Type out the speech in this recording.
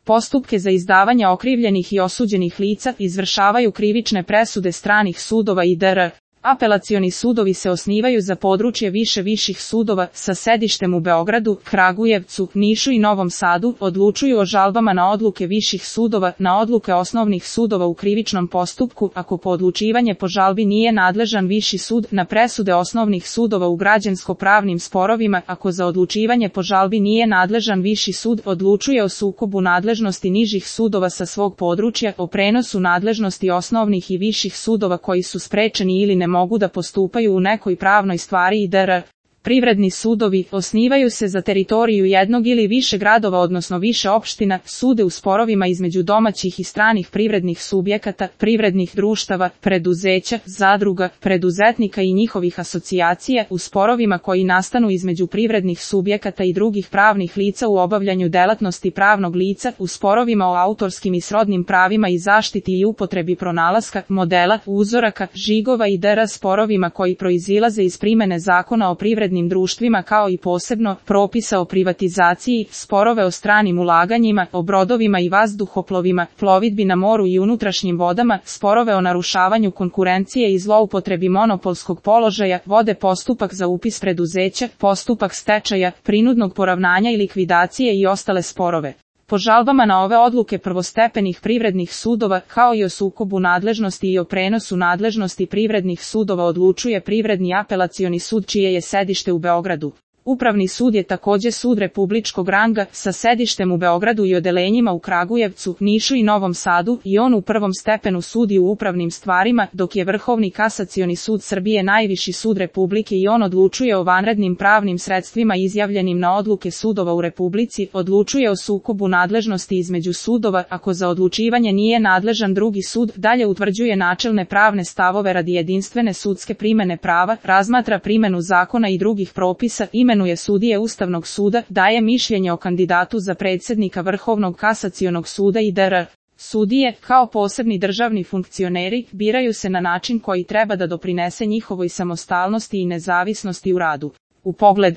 Postupke za izdavanje okrivljenih i osuđenih lica izvršavaju krivične presude stranih sudova i dr. Apelacioni sudovi se osnivaju za područje viših sudova sa sedištem u Beogradu, Kragujevcu, Nišu i Novom Sadu, odlučuju o žalbama na odluke viših sudova, na odluke osnovnih sudova u krivičnom postupku, ako po odlučivanje po žalbi nije nadležan viši sud, na presude osnovnih sudova u građansko-pravnim sporovima, ako za odlučivanje po žalbi nije nadležan viši sud, odlučuje o sukobu nadležnosti nižih sudova sa svog područja, o prenosu nadležnosti osnovnih i viših sudova koji su sprečeni ili ne mogu da postupaju u nekoj pravnoj stvari i dr. Privredni sudovi osnivaju se za teritoriju jednog ili više gradova odnosno više opština, sude u sporovima između domaćih i stranih privrednih subjekata, privrednih društava, preduzeća, zadruga, preduzetnika i njihovih asocijacija, u sporovima koji nastanu između privrednih subjekata i drugih pravnih lica u obavljanju delatnosti pravnog lica, u sporovima o autorskim i srodnim pravima i zaštiti i upotrebi pronalaska, modela, uzoraka, žigova i dr. sporovima koji proizilaze iz primene zakona o privrednim društvima kao i posebno propisa o privatizaciji, sporove o stranim ulaganjima, o brodovima i vazduhoplovima, plovidbi na moru i unutrašnjim vodama, sporove o narušavanju konkurencije i zloupotrebi monopolskog položaja, vode postupak za upis preduzeća, postupak stečaja, prinudnog poravnanja i likvidacije i ostale sporove. Po žalbama na ove odluke prvostepenih privrednih sudova, kao i o sukobu nadležnosti i o prenosu nadležnosti privrednih sudova odlučuje Privredni apelacioni sud čije je sedište u Beogradu. Upravni sud je takođe sud republičkog ranga sa sedištem u Beogradu i odelenjima u Kragujevcu, Nišu i Novom Sadu i on u prvom stepenu sudi u upravnim stvarima, dok je Vrhovni kasacioni sud Srbije najviši sud Republike i on odlučuje o vanrednim pravnim sredstvima izjavljenim na odluke sudova u Republici, odlučuje o sukobu nadležnosti između sudova, ako za odlučivanje nije nadležan drugi sud, dalje utvrđuje načelne pravne stavove radi jedinstvene sudske primene prava, razmatra primenu zakona i drugih propisa, imenuje sudije Ustavnog suda, daje mišljenje o kandidatu za predsednika Vrhovnog kasacionog suda i dr. Sudije, kao posebni državni funkcioneri, biraju se na način koji treba da doprinese njihovoj samostalnosti i nezavisnosti u radu. U pogledu